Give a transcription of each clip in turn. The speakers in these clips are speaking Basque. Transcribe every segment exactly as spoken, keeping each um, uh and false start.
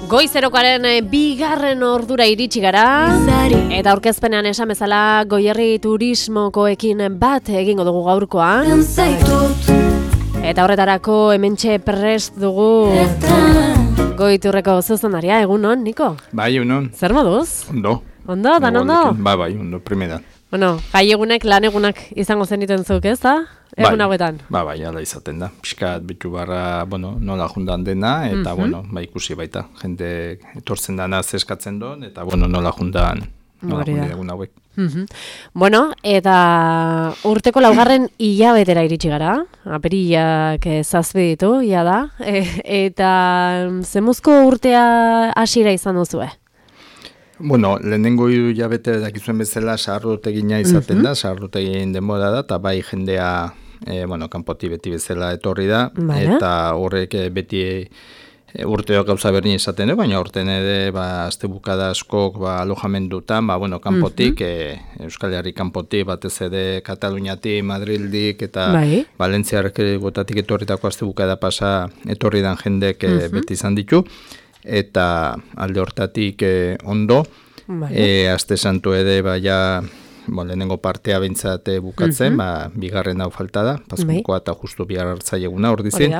Goizerokaren bigarren ordura iritsi gara, eta aurkezpenean esan bezala Goierri turismokoekin bat egingo dugu gaurkoa. Eta horretarako hementxe prest dugu Goiturreko zuzendaria, egunon, Niko? Bai, egunon. Zer moduz? Ondo. Ondo, dan ondo? Ba, bai, ondo, primeran. Bueno, gai egunek, lan egunak izango zeniten zuk, ez da? Egun hauetan. Ba, bai, ala izaten da. Piskat bitu barra, bueno, nola jundan dena, eta, mm-hmm. bueno, ba, ikusi baita. Jende etortzen dana zeskatzen duen, eta, bueno, nola jundan, nola jundan egun hauek. Mm-hmm. Bueno, eta urteko laugarren hilabetera iritsi gara, aperillak zazpi ditu, ia da, e, eta zemuzko urtea hasiera izan duzue? Bueno, lehenengo hiru hilabete dakizuen bezala sahardotegina izaten mm-hmm. da, sahardotegin denbora da, eta bai jendea, e, bueno, kanpoti beti bezala etorri da, vale. Eta horrek beti e, urteok gauza berdin izaten da, baina horten ere, ba, azte bukada askok, ba, alojamendutan, ba, bueno, kanpotik, mm-hmm. e, Euskal Herri kanpotik, batez ere Kataluniatik, Madrildik, eta bai. Valentziarek gotatik etorritako azte bukada pasa etorri dan jendek mm-hmm. beti izan ditu. Eta alde hortatik eh, ondo, vale. e, Aste santu ere, baina, bon, lehenengo partea bintzate bukatzen, mm-hmm. ba, bigarren hau falta da, pasmukoa eta justu bigar hartzai eguna hor dizin.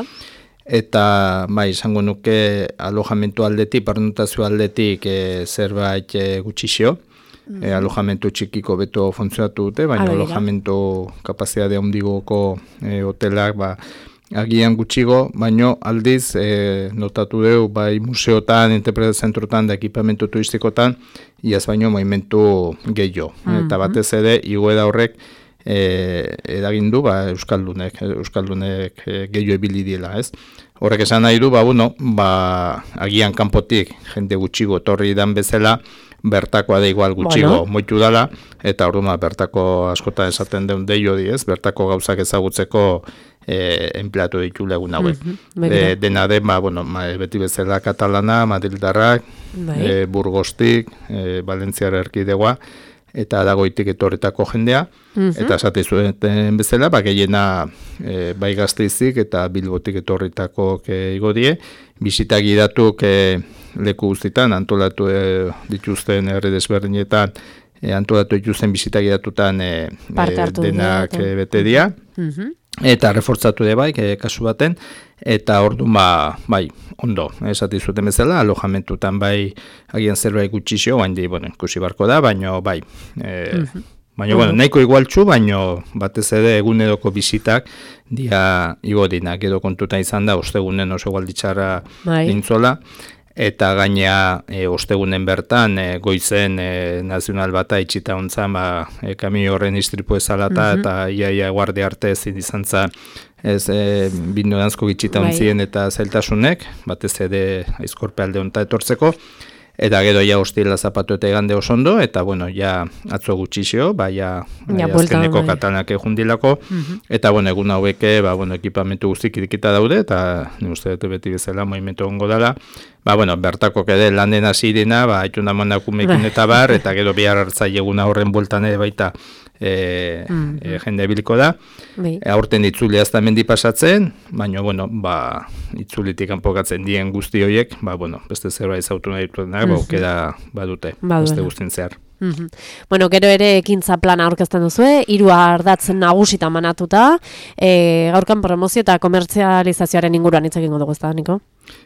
Eta, ba, izango nuke alojamentu aldetik, parnotazio aldetik e, zerbait e, gutxixio, mm-hmm. e, alojamentu txikiko beto funtzionatu dute, baina Adira. Alojamentu kapazitate handigoko e, hotelak, ba, agian gutxigo, baino aldiz e, notatu dugu bai museotan, interpretazio zentrotan da ekipamentu turistikotan, iaz baino movimentu gehiago. Mm-hmm. Eta batez ere, igoera horrek e, eragindu ba, Euskaldunek, Euskaldunek e, gehiago ebili diela, ez? Horrek esan nahi du, ba, bueno, ba, agian kanpotik jende gutxigo etorri dan bezala, bertakoa da igual gutxigo bueno. Moitu dala, eta orduan bertako askotan esaten deun deio di, ez? Bertako gauzak ezagutzeko e, empleatu ditu legun hauek. Mm-hmm. E, dena den, ba, bueno, ma, beti bezala katalana, madrildarrak, e, burgostik, e, Valentziar erkidegoa, eta dagoitik etorretako jendea, mm-hmm. eta esate zuen bezala, ba, gehiena e, bai Gasteizik eta Bilbotik etorretako igodie, bisita gidatuk e, leku guztitan, antolatu e, dituzten herri desberdinetan, e, antolatu dituzten bisita gidatutan e, e, denak e, bete dira, mm-hmm. eta refortzatu de bai, e, kasu baten, eta orduan ba, bai, ondo, esati zuten bezala, alojamentutan bai, agian zerbait gutxixo, baina, bueno, ikusi barko da, baina bai, e, mm-hmm. baina, bueno, nahiko igualtxu, baina batez ere eguneroko bizitak dia igodinak edo kontuta izan da, ostegunen oso igualditxarra dintzola, eta gainea e, ostegunen bertan e, goizen e, nazional bata itxita ontzan, ba, e, kamio horren istripu ezalata, mm-hmm. eta iaia guardia arte ezin izan za, ez e, bindodanzko itxita ontzien eta zailtasunek, batez ere aizkorpe alde onta etortzeko, eta gero ja hostila zapatu eta egande osondo, eta bueno, ja atzo gutxixio, ba, ja, ja azkeneko katalanak ejundilako, mm-hmm. eta bueno, egun haueke, ba, bueno, ekipamentu guztik irikita daude, eta ni uste dut beti bezala movimentu ongo dela, ba, bueno, bertako kede landen hasirina, ba, haituna manakumekin eta bar, eta gero bihar hartzai eguna horren bueltan ere baita, E, mm-hmm. e, jende biliko da, e, aurten itzuli azta mendi pasatzen, baina, bueno, ba, itzulitik kanpokatzen dien guzti horiek, ba, bueno, beste zerbait zautu nahi dituenak, mm-hmm. baukera badute, beste guztien zehar. Mm-hmm. Bueno, gero ere ekintza plana aurkezten duzue, hiru ardatz nagusitan manatuta, e, gaurkan promozio eta komertzializazioaren inguruan hitz egingo dugu, ez da, Niko?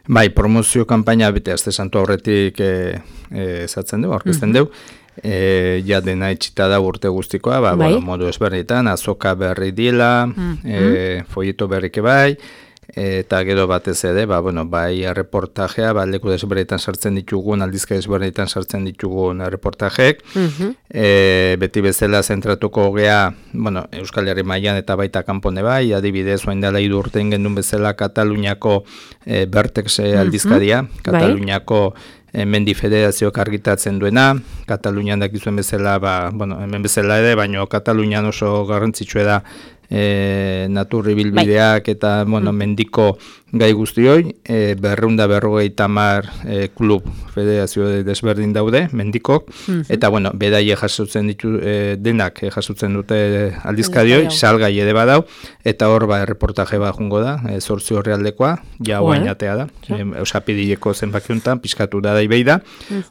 Bai, promozio kanpaina bete azte santu aurretik ezatzen e, dugu, aurkezten mm-hmm. dugu, E, ja dena itxita da urte guztikoa, ba, bai. Bueno, modu ezberditan, azoka berri dila, mm-hmm. e, folleto berrike bai, eta gero batez ere, ba, bueno, bai reportajea, ba, leku desberditan sartzen ditugun, aldizka desberditan sartzen ditugun reportajek, mm-hmm. e, beti bezala zentratuko gea, bueno, Euskal Herri mailan eta baita kanpone bai, adibidez, oain dela hiru urte gendun bezala Kataluniako e, Bertex aldizkaria, mm-hmm. Kataluniako Mendi Federazioak argitatzen duena, Katalunian dakizuen bezala, ba, bueno, hemen bezala ere, baina Katalunian oso garrantzitsua da e, naturri bilbideak eta bueno, mendiko gai guztioi, e, berreunda berrogei tamar e, klub federazio desberdin daude, mendikok, mm-hmm. eta bueno, bedaie jasotzen ditu e, denak e, jasotzen dute aldizkadioi, salgai ere badau, eta hor ba, erreportaje bat jungo da, e, zortzi horrealdekoa, ja oain atea da, e, eusapidileko zenbakiuntan, pizkatu da daibei da,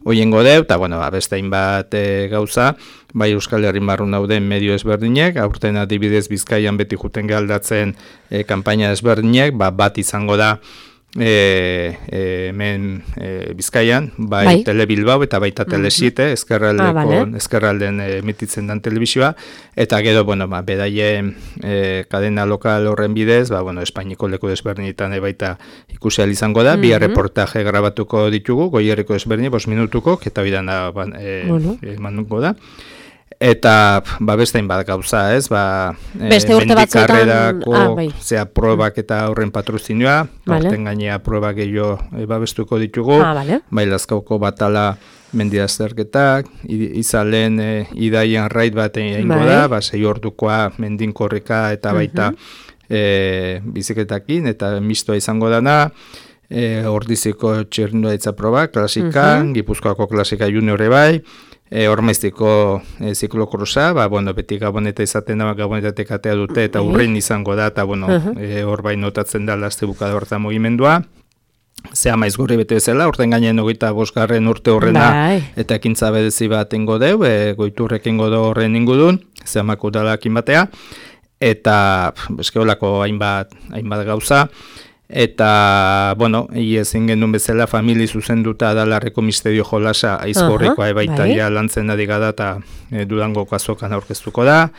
hoiengo deu, eta bueno, ba, beste hainbat e, gauza, bai Euskal Herrin barrun dauden medio ezberdinek, aurten adibidez Bizkaian beti juten galdatzen e, kanpaina ezberdinek, ba, bat izango da e, e, hemen e, Bizkaian, bai, bai. Tele Bilbao eta baita Tele siete, mm-hmm. ezkerraldeko, ah, vale. ezkerralden e, emititzen dan telebizioa, eta gero, bueno, ba, bedaien e, kadena lokal horren bidez, ba, bueno, Espainiko leku desberdinetan e, baita ikusi ahal izango da, mm-hmm. bi reportaje grabatuko ditugu, Goierriko desberdin, bost minutuko, eta bidan da, ba, e, bueno. e, manduko da. Eta ba bestein bat gauza, ez? Ba, beste urte batzuetan, ah, bai. Zea probak eta horren patrozinioa, vale. Horten gainea probak gehiago e, babestuko ditugu, ah, vale. Bai Lazkauko batala mendia azterketak, izalen e, idaian raid bat egingo bai. Da, ba, sei ordukoa mendin korrika eta baita uh-huh. e, biziketakin, eta mistoa izango dana, e, Ordiziko txirrindularitza proba, klasika, uh-huh. Gipuzkoako klasika juniore bai, E, Ormaiztiko e, ziklokruza, ba, bueno, beti gaboneta izaten da, gabonetatek atea dute, eta urrin izango da, eta bueno, uh-huh. e, hor bai notatzen da laste bukada hortan mugimendua. Zea maiz gurri bete bezala, urten gainen hogeita bosgarren urte horrena, bai. Eta ekintza bedezi bat ingo deu, e, goiturrek ingo do horren ingudun, zea makudalakin batea, eta eskeolako hainbat, hainbat gauza, eta, bueno, ezin genuen bezala famili zuzenduta Adalarreko misterio jolasa aizkorrikoa uh-huh, ebaita bai. Ja lantzen adigada eta e, Durango kazokan aurkeztuko da.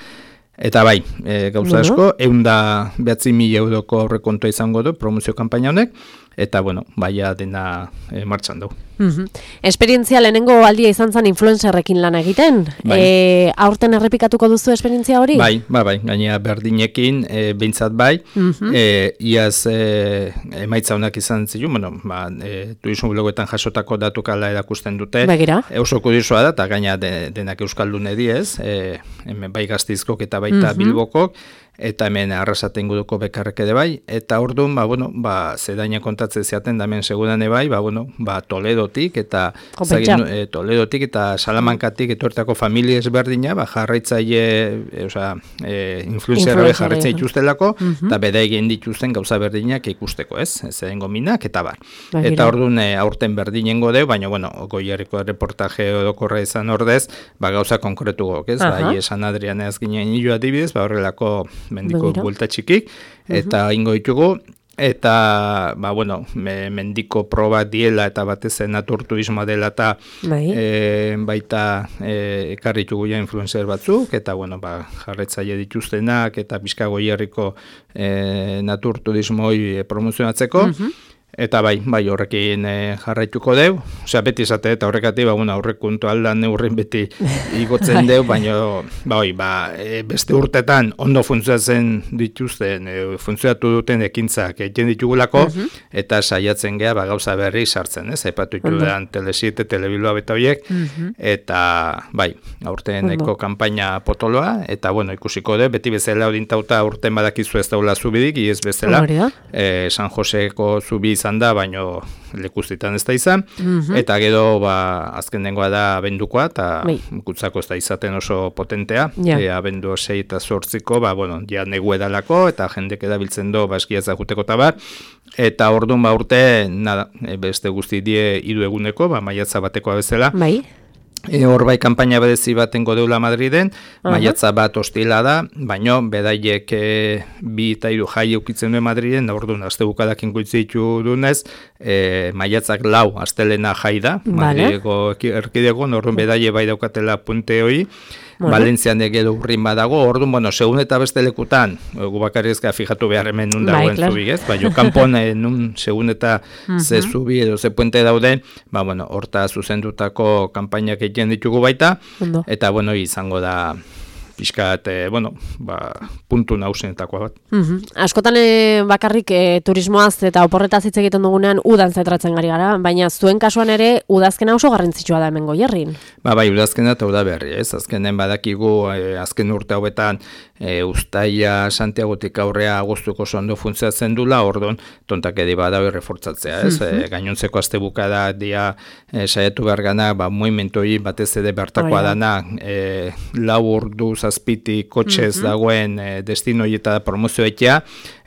Eta bai, e, gauza asko, uh-huh. eunda behatzi mila euroko aurrekontua izango du promozio kanpaina honek, eta, bueno, baia dena e, martxan dugu. Uh-huh. Esperientzia lehenengo aldia izan zen influencerrekin lan egiten. Bai. E, aurten errepikatuko duzu esperientzia hori? Bai, bai, bai. Gainea berdinekin, e, behintzat bai. Uh-huh. E, iaz e, emaitza honak izan zilu, bueno, ba, e, turismo blogoetan jasotako datukala erakusten dute. Begira. E, oso kudirsoa da, eta gainea de, denak euskaldun ediez, e, hemen bai Gazteizkok eta baita uh-huh. Bilbokok, eta hemen arrasaten guduko bekarrek ere bai, eta orduan, ba, bueno, ba, zedaina kontatzen zeaten da hemen segudan bai, ba, bueno, ba, Toledotik, eta zagin, e, Toledotik eta Salamankatik etortako familia ezberdina, ba, jarraitzaile, e, oza, e, influencerra jarraitza dituztelako, uh-huh. eta beda egin dituzten gauza berdinak ikusteko, ez? Ez edengo minak, eta bar. Bagira. Eta orduan, e, aurten berdinengo deu, baina, bueno, Goierriko reportaje odokorra izan ordez, ba, gauza konkretu gok, ez? Uh-huh. Bai, esan Adrianez ginen nilo adibidez, ba, horrelako mendiko buelta txikik, eta uh-huh. ingo ditugu, eta, ba, bueno, me, mendiko proba diela, eta batez naturturismoa dela, eta e, baita e, ekarritugu ja influencer batzuk, eta, bueno, ba, jarretzaile dituztenak, eta pixka Goierriko e, naturturismoi e, promozionatzeko, uh-huh. Eta bai, bai horrekin e, jarraituko deu, osea beti esate eta horrekati, ba, bueno, aurrekontu aldan neurrin beti igotzen deu, baina ba, oi, ba, e, beste urtetan ondo funtzionatzen dituzten, e, funtzionatu duten ekintzak egiten ditugulako, uh-huh. eta saiatzen gea ba, gauza berri sartzen, ez? Aipatu ditudan Tele siete, Tele Bilbao eta horiek, uh-huh. eta bai, aurteneko uh-huh. kanpaina potoloa, eta bueno, ikusiko de, beti bezala odintauta urten badakizu ez daula zubidik, iez bezala, e, San Joseko zubi izan da, baino lekuzitan ez da izan, mm-hmm. eta gero ba, azken dengoa da abendukoa, eta kutzako ez da izaten oso potentea, yeah. e, abendu sei eta zortziko, ba, bueno, ja negu edalako, eta jendek edabiltzen do, ba, eskiatza juteko eta bar, eta orduan ba urte, nada, e, beste guzti die hiru eguneko, ba, maiatza batekoa bezala, bai. E, hor bai kanpaina bedezi batengo deula Madriden, uh-huh. maiatza bat ostila da, baino bedaiek e, bi eta hiru jai eukitzen duen Madriden, da orduan aste bukadakin goitzitu dunez, e, maiatzak lau astelena jai da, vale. Madrideko erkidego, orduan bedaie bai daukatela puente hoi, bueno. Valentzian egedo urrin badago, orduan, bueno, segun eta beste lekutan, gu bakarrizka fijatu behar hemen nun dagoen bai, zubi, ez? Baina kanpon nun segun eta uh-huh. ze zubi edo ze puente dauden, ba, bueno, horta zuzendutako kanpainak egiten ditugu baita, Ondo. Eta, bueno, izango da pixkat, e, bueno, ba, puntu nagusienetakoa bat. Mm-hmm. Askotan e, bakarrik e, turismoaz eta oporretaz hitz egiten dugunean udan zentratzen gari gara, baina zuen kasuan ere udazkena oso garrantzitsua da hemen Goierrin. Ba, bai, udazkena eta udaberri, ez? Azkenen badakigu, e, azken urte hauetan, e, Uztaia, Santiagotik aurrea agostuko ondo funtzionatzen dula, ordon tontak edi badago refortzatzea, ez? Mm-hmm. E, gainontzeko astebuka da dia e, saiatu behar gana, ba, movimentoi batez ere bertakoa oh, dana, e, lau ordu zazpiti kotxez mm-hmm. dagoen e, destinoieta promozioetea,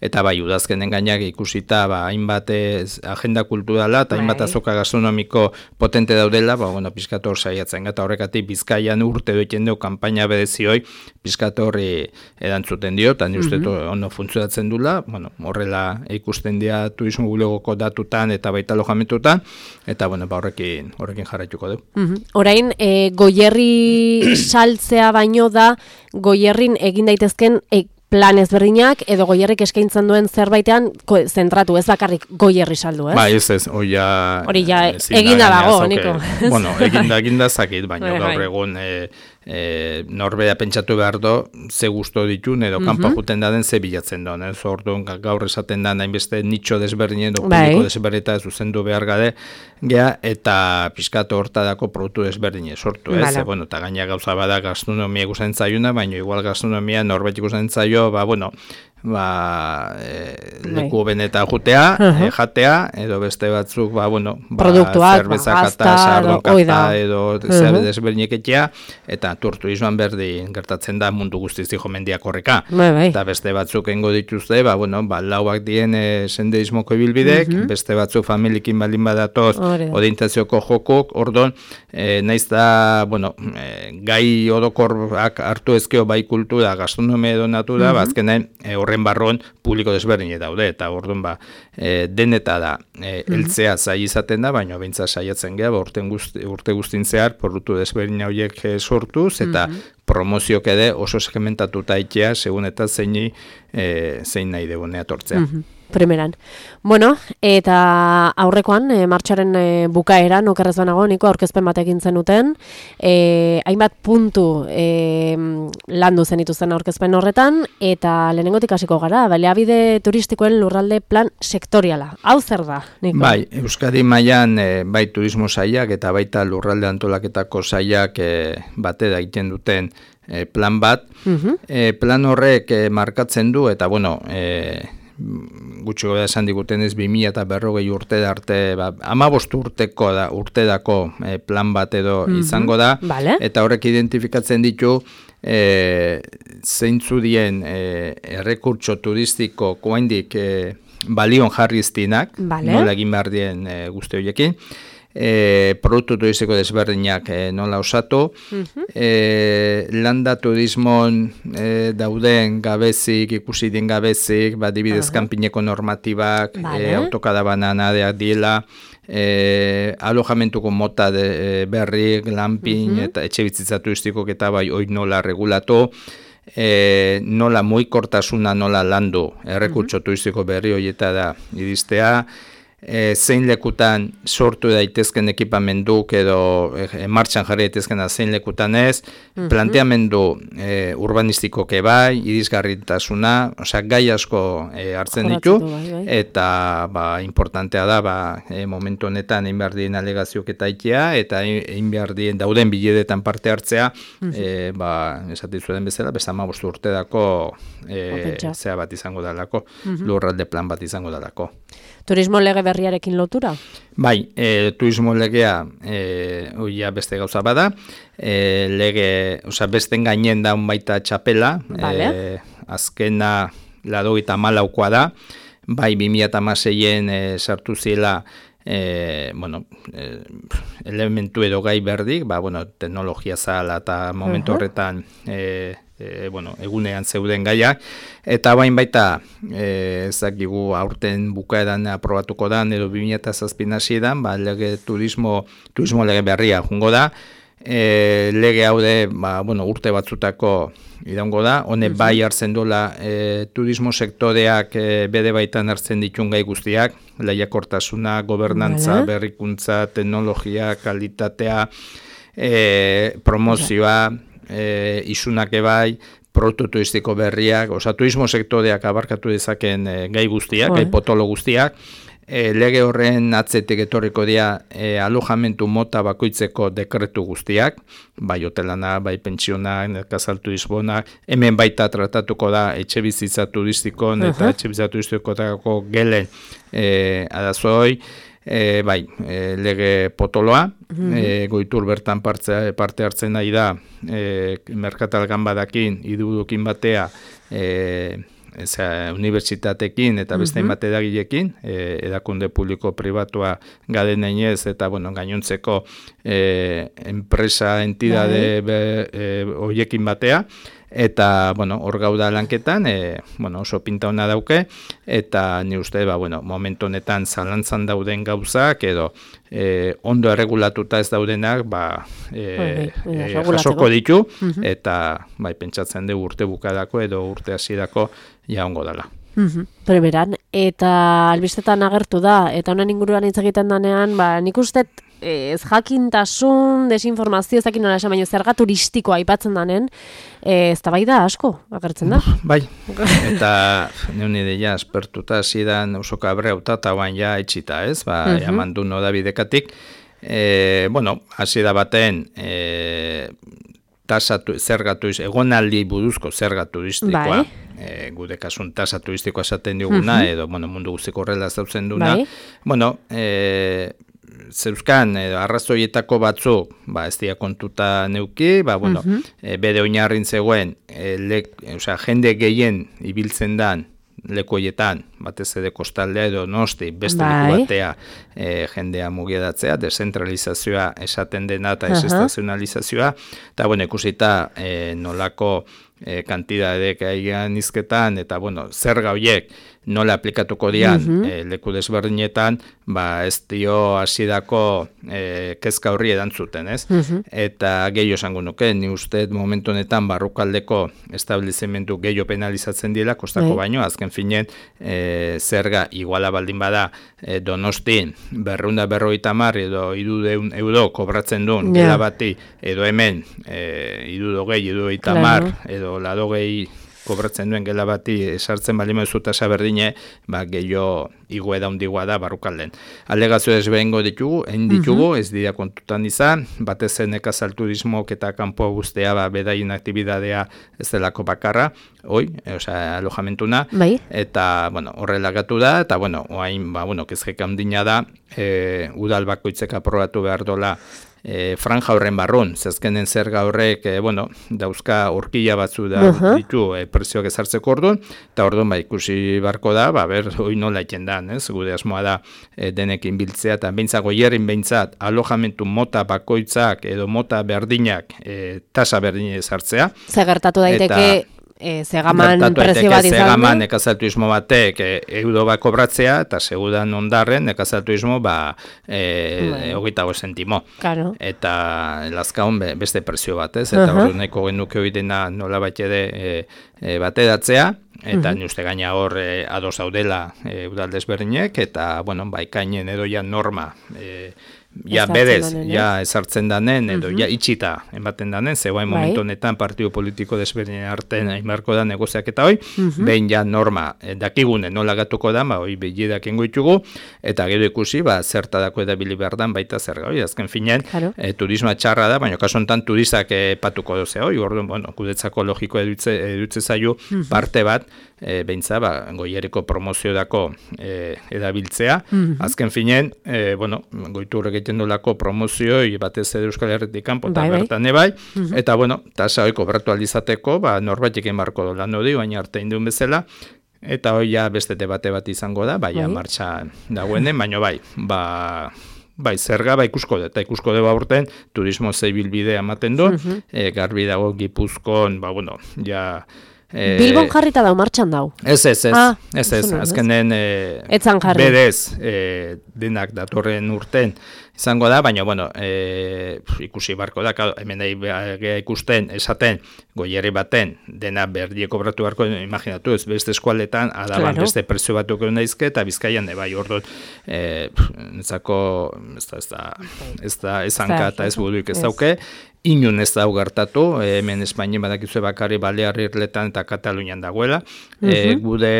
eta bai, udazkenen gainak ikusita, ba, hainbat ez, agenda kulturala, eta hainbat azoka gastronomiko potente daudela, ba, bueno, pizkator saiatzen, eta horrekatik Bizkaian urte doiten dugu kanpaina bedezioi, pizkatorri erantzuten dio, eta ni uste mm-hmm. ondo funtzionatzen dula, bueno, horrela ikusten dira turismo bulegoko datutan eta baita alojamentutan, eta bueno, ba, horrekin, horrekin jarraituko dugu. Mm-hmm. Orain, e, Goierri saltzea baino da, Goierrin egin daitezken e, plan ezberdinak, edo Goierrik eskaintzen duen zerbaitean zentratu, ez bakarrik Goierri saldu, ez? Ba, ez ez, hori ja... Hori ja, eginda dago, Niko. Bueno, eginda, eginda zakit, baina gaur egun... E, E, norbea pentsatu behar do, ze gusto ditun, edo mm-hmm. kanpa juten da den ze bilatzen doan, ez orduan gaur esaten da nahinbeste nitxo desberdinen, edo publiko desberdita zuzendu behar gade, gea, eta pizkatu hortadako produktu desberdine sortu, ez? E, bueno, eta gaina gauza bada gastronomia ikusen zaiuna, baina igual gastronomia norbet ikusen zaio, ba, bueno, ba, e, leku beneta jutea, uh-huh. e, jatea, edo beste batzuk, ba, bueno, ba, zerbeza ba, kata, sardon kata, edo uh-huh. desberdineketea, eta turismoan berdin gertatzen da mundu guztiz dijo mendiak horreka. Bai, bai. Eta beste batzuk engo dituzte, ba, bueno, ba, lauak dien e, senderismoko ibilbidek, uh-huh. beste batzuk familikin baldin badatoz, orientazioko jokok, ordon, e, naiz da, bueno, e, gai orokorrak hartu ezkeo bai kultura, gastronomia edo natura, uh-huh. bazkenen e, horren barron publiko desberdine daude, eta orduan ba, e, deneta da, e, eltzea zai izaten da, baina bintza saiatzen geha, ba, urte, guzti, urte guztin zehar, produktu desberdine horiek e, sortuz, eta mm-hmm. promoziok ede oso segmentatuta itea, segun eta zeini, e, zein nahi degunea tortzea. Mm-hmm. Primeran. Bueno, eta aurrekoan, e, martxaren e, bukaeran, okerrez banago, Niko aurkezpen batekin zenuten, e, hainbat puntu e, landu zen ituzen aurkezpen horretan, eta lehenengotik hasiko gara, baliabide turistikoen lurralde plan sektoriala. Hau zer da, Niko? Bai, Euskadi mailan e, bai turismo sailak eta baita lurralde antolaketako sailak e, batera egiten duten e, plan bat. Uh-huh. e, plan horrek e, markatzen du, eta bueno, e, gutxi goda esan diguten ez bi mila eta berrogei urte da arte, ba, hamabost urteko da, urtedako e, plan bat edo mm-hmm. izango da, vale. Eta horrek identifikatzen ditu e, zeintzu dien e, errekurtso turistiko koaindik e, balion jarriztinak, vale. Nola egin behar dien e, guzti horiekin, E, produktu turistiko desberdinak e, nola osatu, uh-huh. e, landa turismon e, dauden gabezik, ikusi den gabezik, ba, dibidez uh-huh. kanpineko normatibak, vale. e, autokadabanan adeak diela, e, alojamentuko mota de, e, berrik, lampin, uh-huh. eta etxe bizitza turistikok eta bai hoi nola regulatu, e, nola muikortasuna nola landu, errekurtso uh-huh. turistiko berri horieta da iristea, E, zein lekutan sortu daitezken ekipamenduk edo e, martxan jarri daitezkena zein lekutan ez, mm-hmm. planteamendu e, urbanistikoke bai, irisgarritasuna, osea gai asko e, hartzen ditu, bai, bai. Eta ba, importantea da ba, e, momentu honetan egin behar dien alegazioak eta itea, eta egin behar dien dauden biledetan parte hartzea, mm-hmm. e, ba, esatizu den bezala, besta hamabost urte dako e, zea bat izango dalako, mm-hmm. lurralde plan bat izango dalako. Turismo lege berriarekin lotura? Bai, e, turismo legea e, oia beste gauza bada, e, lege, oza, besten gainen da baita txapela, vale. e, azkena laurogeita hamalaukoa da, bai bi mila hamaseien e, sartu ziela e, bueno, e, elementu edo gai berdik, ba, bueno, teknologia zala eta momentu uh-huh. horretan e, E, bueno, egunean zeuden gaiak, eta bain baita e, ezakigu aurten bukaeran aprobatuko da, edo bi mila zazpin hasieran, ba, lege turismo, turismo lege berria jungo da, e, lege haude ba, bueno, urte batzutako idango da, hone uh-huh. bai hartzen dola e, turismo sektoreak e, bede baitan hartzen ditun gai guztiak, lehiakortasuna, gobernantza, vale. Berrikuntza, teknologia, kalitatea, e, promozioa, e, isunak ebai, produktu turistiko berriak, oza, turismo sektoreak abarkatu dezaken e, gai guztiak, gai potolo guztiak, e, lege horren atzetik etorriko dira e, alojamentu mota bakoitzeko dekretu guztiak, bai hotelana, bai pentsionak, nekazal turismonak, hemen baita tratatuko da etxe bizitza turistikon eta uh-huh. etxe bizitza turistikotako gelen e, adazoi, E, bai, e, lege potoloa, mm-hmm. e, goitur bertan parte, parte hartzen nahi da, e, merkatalgan badakin, idudukin batea, e, eza, unibertsitatekin eta beste mm-hmm. bate edagilekin, e, edakunde publiko pribatua gaden einez, eta bueno, gainontzeko e, enpresa, entidade e, hoiekin batea, eta, bueno, hor gauda lanketan, e, bueno, oso pinta hona dauke, eta ni uste, ba, bueno, momentu honetan zalantzan dauden gauzak, edo e, ondo erregulatuta ez daudenak, ba, e, e, jasoko ditu, uh-huh. eta, bai, pentsatzen dugu urte bukadako, edo urte hasierako ja ongo dela. Uh-huh. Primeran, eta albistetan agertu da, eta honen inguruan hitz egiten danean, ba, nik uste ez jakintasun, desinformazio, ez dakin nola esan, baina zerga turistikoa aipatzen danen, ez da bai da asko, agertzen da? Bai, eta neun ideia aspertuta zidan oso kabreuta, eta guan ja etxita, ez? Ba, uh-huh. jaman du noda bidekatik. E, bueno, hasi da baten, e, tasatu, zerga turistikoa, egonaldi buruzko zerga turistikoa, bai. E, gude kasun tasa turistikoa esaten diguna, uh-huh. edo, bueno, mundu guztiko horrela zautzen duna. Bai. Bueno, e, zeuzkan, edo, arrazoietako batzuk, ba, ez dira kontuta neuki, ba, bueno, uh-huh. e, bere oinarrin zegoen, e, le, o sea, jende gehien ibiltzen dan lekoietan, batez ere kostaldea edo nosti, beste bai. Leku batea e, jendea mugiadatzea, dezentralizazioa esaten dena eta uh-huh. desestazionalizazioa, eta, bueno, ikusita e, nolako e, kantidadek aigan izketan, eta, bueno, zerga horiek nola aplikatuko dian uh-huh. e, leku desberdinetan, ba ez dio hasierako e, kezka horri erantzuten, ez? Uh-huh. Eta gehiago esango nuke, ni uste momentu honetan barrukaldeko establezimendu gehiago penalizatzen dira, kostako uh-huh. baino, azken finen e, zerga iguala baldin bada e, Donostin berrunda berrogeita hamar edo hiruehun euro kobratzen duen yeah. gela bati, edo hemen e, hirurogei, hirurogeita hamar edo laurogei kobratzen duen gela bati esartzen bali mezu tasa berdine, ba, gehiago igoeda hundigua da barrukalden. Alegazio ezberengo ditugu, egin ditugu, uh-huh. ez dira kontutan izan, batez nekazal turismok eta kanpo guztea ba, bedaien aktibidadea ez delako bakarra, hoi, e, osea, alojamentuna, bai. Eta, bueno, horrela gatu da, eta, bueno, oain, ba, bueno, kezkeka hundina da, e, udal bakoitzek aprobatu behar dola, E, franja horren barrun, zezkenen zerga horrek, e, bueno, dauzka horkila batzu da uh-huh. ditu e, prezioak ezartzeko orduan, eta orduan ba, ikusi barko da, ba, ber, hoi nola iten da, ez? Gude asmoa da e, denekin biltzea, eta behintzako hierrin behintzat, alojamentu mota bakoitzak edo mota berdinak e, tasa berdine ezartzea. Zagertatu daiteke... Eta, E, zegaman prezio bat izan. Zegaman nekazal turismo batek e, euro bat kobratzea, eta segudan ondarren nekazal turismo ba, e, hogeita go sentimo. Claro. Eta lazkaun be, beste prezio bat, ez? Eta uh-huh. hori nahiko genuke hori dena nola bat ere e, e, bateratzea, eta uh-huh. ni uste gaina hor e, ados daudela e, udal desberdinek, eta, bueno, baikainen edo ja norma e, ja bedez, danen, ja ezartzen danen, edo uh-huh. ja itxita ematen danen, zegoen bai. Momentu honetan partidu politiko desberdinen artean aimarko da negoziak eta hoi, uh-huh. behin ja norma eh, dakigune nola gatuko da, ba, hoi behidak ingoitugu, eta gero ikusi, ba, zertadako edabili behar dan baita zerga hoi, azken finen, claro. e, turisma txarra da, baina kaso honetan turistak e, patuko doze hoi, orduan, bueno, gudetzako logiko edutze, edutze zaio uh-huh. parte bat, e, behintza, ba, goieriko promozio dako e, edabiltzea, uh-huh. azken finen, e, bueno, goitu horrek dolako promozioi batez ere Euskal Herritik kanpo eta bertan ebai, uh-huh. eta bueno, tasa hoi kobratu aldizateko, ba, norbaitik emarko dola nodi, baina arte induen bezala, eta hoi ja beste debate bat izango da, bai, ja, martxa dagoenen, baina bai, ba, bai, zerga, ba, ikusko da, eta ikusko da urten, turismo zeibilbidea ematen du, uh-huh. e, garbi dago Gipuzkoan, ba, bueno, ja, Eh, Bilbon jarrita dau, martxan dau. Ez, ez, ez, ah, ez, ez, azkenen eh, bedez eh, denak datorren urten izango da, baina, bueno, e, ikusi barko da, hemen da ikusten, esaten, goierri baten, dena berdie kobratu barko, imaginatu, ez beste eskualetan, adaban claro. beste prezio batuk egun daizke, eta Bizkaian, bai, orduan, e, netzako, ez da, ez da, ez da, ez hanka eta ez buduik ez dauke, inun ez da gertatu, hemen Espainien badakizue bakarri Balear Irletan eta Katalunian dagoela, uh-huh. e, gude,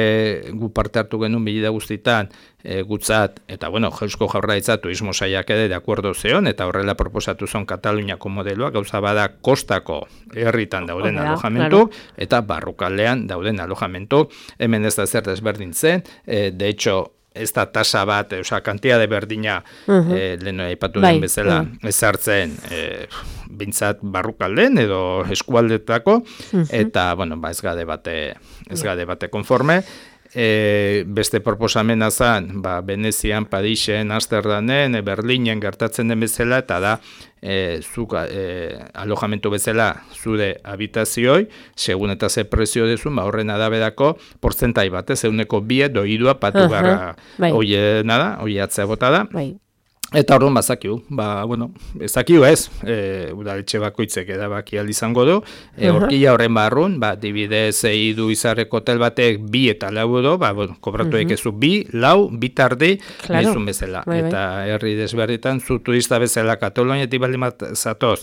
gu parte hartu genuen bilida guztitan, e, gutzat, eta bueno, Eusko Jaurlaritza turismo saiak ere de acuerdo zeon, eta horrela proposatu zon Kataluniako modeloa, gauza bada kostako herritan dauden Orea, alojamentu, claro. eta barrukaldean dauden alojamentu, hemen ez da zer desberdintzen, e, de hecho, ez da tasa bat, oza, kantia de berdina, uh-huh. e, lehenu aipatu den bezala, uh-huh. ezartzen, e, bintzat barrukalden edo eskualdetako, uh-huh. eta, bueno, ba, ez gade bate, ez gade bate konforme, e, beste proposamena zen, ba, Venezian, Parisen, Amsterdamen, Berlinen gertatzen den bezala, eta da, e, zuk e, alojamentu bezala zure habitazioi, segun eta ze prezio dezun, ba, horren adaberako portzentai bat, ez euneko bie doidua patu uh-huh. gara, bai. Oie nada, oie atzea bota da. Bai. Eta orduan bazakiu, ba, bueno, ezakiu ez, e, udaletxe bakoitzek edabaki izango du, e, horkia horren barrun, ba, dibidez eidu izarreko hotel batek bi eta lau edo, ba, bueno, kobratu uh-huh. ekezu bi, lau, bi tardi, claro. Mezun bezala. Bai, bai. Eta herri desberritan, zu turista bezala Kataluniatik baldin bat zatoz,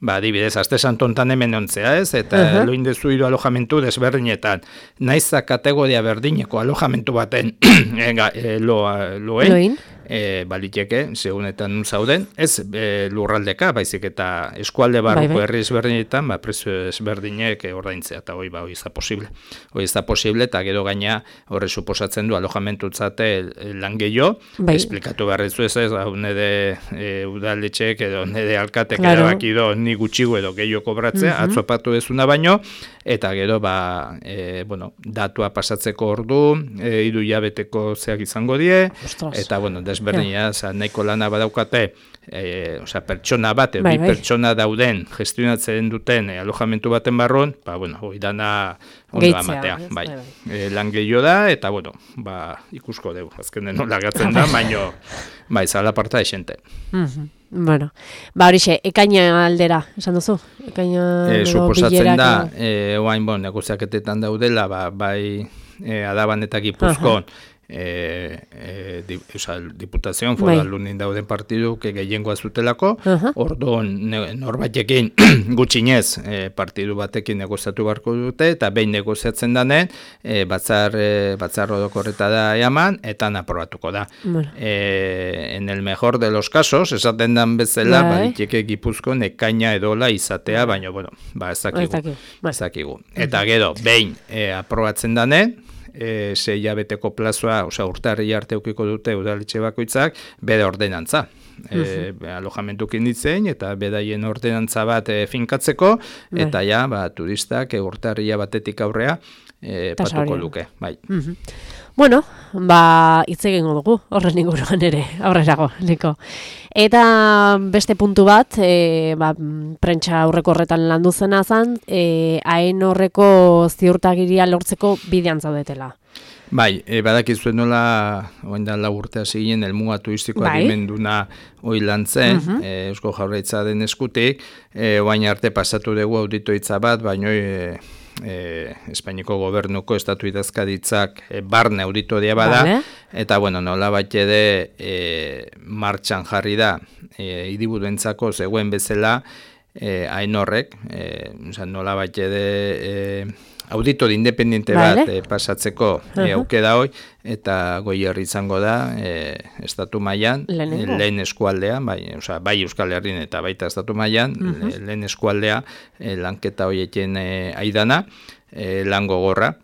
ba, dibidez, aste santontan hemen ontzea ez, eta uh-huh. loin dezu hiru alojamentu desberdinetan, naiza kategoria berdineko alojamentu baten ega, e, loa, loen, loin. E, baliteke, segunetan nun zauden, ez e, lurraldeka, baizik eta eskualde barruko bai, bai. Herri ezberdinetan, ba, prezio ezberdinek ordaintzea, eta hoi, ba, hoi ez da posible. Hoi ez da posible, eta gero gaina horre suposatzen du alojamentutzate lan gehiago, bai. Esplikatu beharrezu ez ez, unede e, udaletxek edo unede alkatek claro. Erabakido ni gutxigo edo gehiago kobratzea, uh-huh. atzopatu dezuna baino, eta gero, ba, e, bueno, datua pasatzeko ordu, e, hiru hilabeteko zeak izango die, Ostras. Eta, bueno, desberdina, yeah. nahiko lana badaukate, e, osea, pertsona bat, bai, bi bai. Pertsona dauden, gestionatzen duten e, alojamentu baten barron, ba, bueno, hoi dana ondo amatea, bai. bai. E, lan gehiago da, eta, bueno, ba, ikusko dugu, azkenen nola gatzen da, baino, bai, zala parta esente. Mhm. Bueno, ba horixe, ekaina aldera, esan duzu? Ekaina e, suposatzen da, e, oain bon, negoziaketetan daudela, ba, bai e, Adaban eta Gipuzkoan, e, e, di, oza, diputazioan, foral lunin dauden partidu, que gehiengoa zutelako, uh-huh. orduan norbaitekin gutxinez e, partidu batekin negoziatu barko dute, eta behin negoziatzen danen, e, batzar, e, batzar rodokorreta da eaman, eta aprobatuko da. Bueno. E, en el mejor de los casos, esaten dan bezala, baliteke Gipuzkoan ekaina edola izatea, baina, bueno, ba, ez dakigu. Ez dakigu. Eta gero, behin e, aprobatzen danen, E, sei hilabeteko plazoa, osea urtarri arte ukiko dute udaletxe bakoitzak, bere ordenantza. E, uh-huh. alojamentukin ditzen, eta bedaien ordenantza bat e, finkatzeko, bai. Eta ja, ba, turistak e, urtarria batetik aurrea e, patuko luke. Bai. Uh-huh. Bueno, ba, hitz egingo dugu, horren inguruan ere, aurrerago, Liko. Eta beste puntu bat, e, ba, prentsa aurreko horretan landu zena zen, e, hain horreko ziurtagiria lortzeko bidean zaudetela. Bai, e, badakizuen nola, oain da lau urte hasi ginen, elmuga turistiko bai. Adimenduna hoi lan zen, uh-huh. e, Eusko Jaurlaritza den eskutik, e, oain arte pasatu dugu auditoitza bat, baina e, E, Espainiko gobernuko estatu idazkaditzak e, barne auditoria bada, vale. Eta bueno, nola bat ede e, martxan jarri da e, hiriburuentzako zegoen bezala e, hain horrek, e, nola bat ede e, auditor independiente vale. Bat e, pasatzeko uh-huh. e, auke da hoi, eta Goierri izango da e, estatu mailan e, lehen eskualdean, bai, oza, bai Euskal Herrin eta baita estatu mailan uh-huh. le, lehen eskualdea e, lanketa hoieken e, aidana, e, lan gogorra.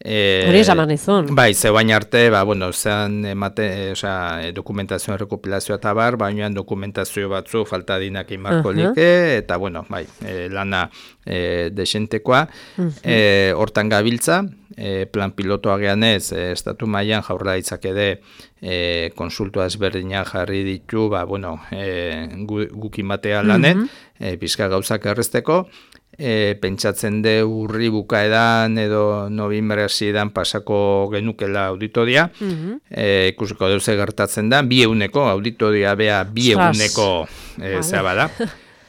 Hori e, esaman izun. Bai, ze baina arte, ba, bueno, zean emate, e, oza, e, dokumentazioan rekopilazioa eta bar, bainoan dokumentazio batzu falta dinak inbarko uh-huh. like, eta bueno, bai, e, lana e, desentekoa, uh-huh. e, hortan gabiltza, e, plan pilotoa geanez, e, estatu mailan Jaurlaritzak ede e, konsultua ezberdinak jarri ditu, ba, bueno, e, gu, gukin batea lanen, mm-hmm. e, pizka gauzak errezteko, e, pentsatzen de urri bukaedan edo noviembre hasieran pasako genukela auditoria, mm-hmm. e, ikusiko deuze gertatzen da, bi eguneko auditoria bea bi eguneko e, zaba da.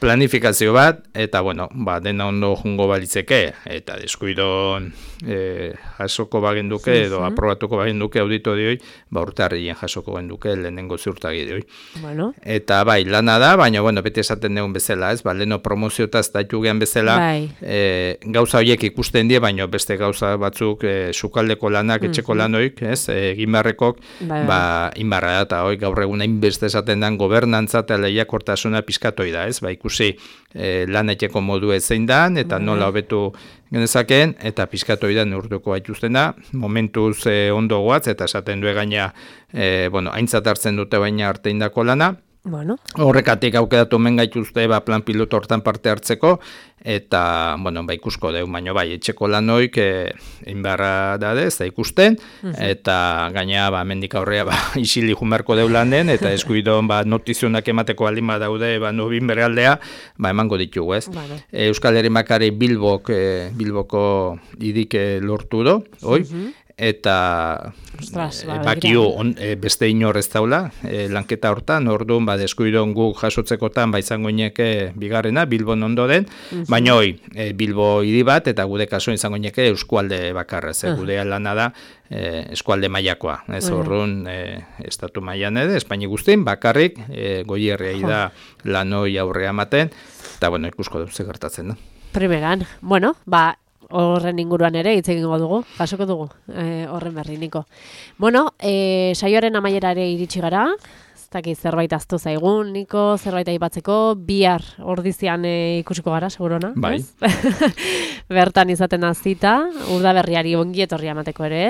Planifikazio bat, eta bueno, ba, dena ondo jungo balitzeke, eta deskuidon e, jasoko bagenduke, edo aprobatuko bagenduke auditorioi, ba, urtarrien jasoko genduke lehenengo ziurtagideoi. Bueno. Eta bai, lana da, baina, bueno, bete esaten dugun bezala, ez, ba, leheno promoziotaz daitu gehan bezala, bai. e, gauza horiek ikusten die, baina beste gauza batzuk e, sukaldeko lanak, etxeko lanoik, ez, egin beharrekok, bai, ba, inbarra da, eta hoi, gaur egun hainbeste esaten den gobernantza eta lehiakortasuna pizkatoi da, ez, ba, ikusi E, lan etxeko modu zein dan, eta nola hobetu genezakeen, eta pizkatoi da neurtuko baituzten da, momentuz e, ondo goatz, eta esaten du gaina, e, bueno, aintzat hartzen dute baina arte indako lana, bueno. Horrekatik aukeratu men gaituzte ba, plan piloto hortan parte hartzeko, eta, bueno, ba, ikusko deu, baina bai, etxeko lanoik e, inbarra dade, ez da ikusten, uh-huh. eta gaina, ba, mendik aurrea, ba, isili jumerko deu landen, eta eskuidon, ba, notizionak emateko aldin badaude, ba, nobin beraldea, ba, emango ditugu, ez. Vale. E, Euskal Herri Makari Bilbok, e, Bilboko idik lortu do, oi, uh-huh. eta Ostras, e, bakio on, e, beste inor ez daula, e, lanketa hortan, orduan, ba, deskuidon guk jasotzekotan, ba, izango ineke bigarrena, Bilbon ondo den, uh-huh. baina hoi, e, Bilbo hiri bat, eta gude kaso izango ineke eskualde bakarra, ze uh-huh. gude lana da, e, eskualde mailakoa, ez uh-huh. orduan, e, estatu mailan ere, Espaini guztin, bakarrik, e, goierriai uh-huh. da lanoi aurrea maten, eta, bueno, ikusko dut gertatzen da. Primeran, bueno, ba, horren inguruan ere hitz egingo dugu, jasoko dugu, e, horren berri, Niko. Bueno, e, saioaren amaiera ere iritsi gara, ez dakit zerbait aztu zaigun, Niko, zerbait aipatzeko, bihar ordizian e, ikusiko gara, segurona? Bai. Bertan izaten azita, urdaberriari ongi etorria emateko ere,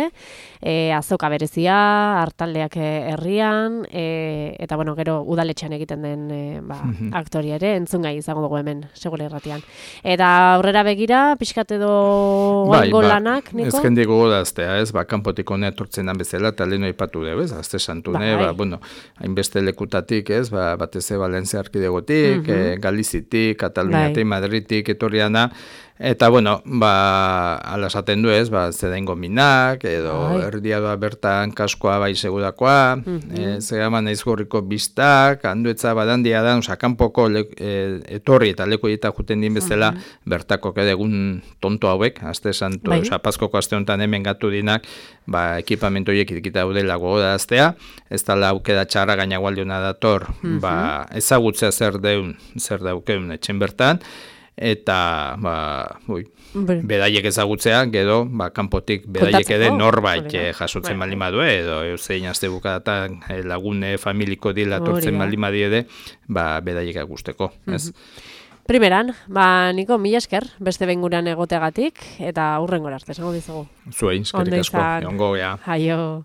e, azoka berezia, hartaldeak herrian, e, eta bueno, gero udaletxean egiten den e, ba, mm-hmm. aktoria ere, entzun gai izango dugu hemen, segure irratian. Eta aurrera begira, pixkat edo oango bai, lanak, ba, Niko? Ez jendigo godaztea, ez, ba, kanpotik honea tortzen dan bezala, eta leheno ipatu dugu, ez, azte santune, bai. ba, bueno, hainbeste lekutatik, ez, ba, batez Valentzia arkidegotik, mm-hmm. e, Galizitik, Kataluniatik, bai. Madridik, etorriana, eta, bueno, ba, ala esaten du ez, ba, zedengo minak, edo Ai. erdia doa bertan kaskoa bai segudakoa, mm-hmm. e, zegama naiz gorriko biztak, handuetza badandia da, oza, kanpoko le, e, etorri eta leko dieta juten din bezala, mm-hmm. bertako egun tonto hauek, azte santu, bai. oza, paskoko azte honetan hemen gatu dinak, ba, ekipamentu horiek ikita daudela gogoda aztea, ez dala aukeda txarra gaina gualdiona dator, mm-hmm. ba, ezagutzea zer deun, zer daukeun etxen bertan, eta ba, ui, bedaiek ezagutzea, gero ba, kanpotik bedaiek ede norbait eh, jasotzen baldin badue, edo eusein azte bukadatan eh, lagune familiko dila tortzen baldin badiede, ba, bedaiek agusteko, ez? Primeran, ba, Niko, mila esker, beste benguran egoteagatik, eta hurrengora arte, esango dizugu. Zuei, eskerik asko, egongo, ja. Aio.